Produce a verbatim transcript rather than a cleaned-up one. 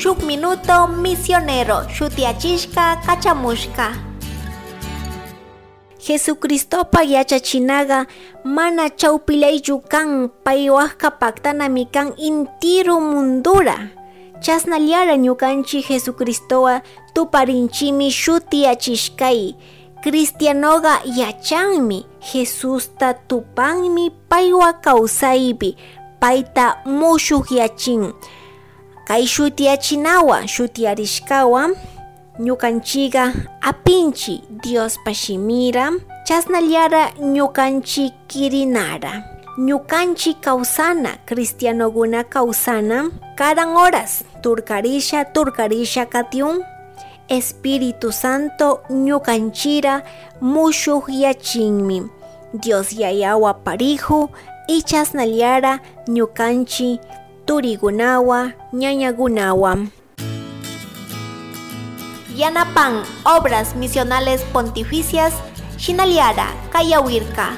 Shuk minuto misionero shutiyachishka kachamushka. Jesucristopa yachachinaga mana chawpillaychu kan, pay wakka paktanami kan intiru mundura. Chasnallara ñukanchi Jesucristowa tuparinchimi shutiyachishkay. Cristianoga yachanmi Jesusta tupanmi paywa kawsaypi, payta mushukyachin. Kay shutiyachinawa shutiyarishkawa ñukanchiga apinchi Diospa shimira, chasnallara ñukanchi kirinara. Ñukanchi kawsana, cristianoguna kawsana, karan horas turkarisha, turkarisha katiun, Espíritu Santo ñukanchira mushukyachinmi. Dios Yayawa pariju, y chasnallara ñukanchi turigunawa, ñañagunawa. Yanapan Obras Misionales Pontificias, shinallara kayawirka.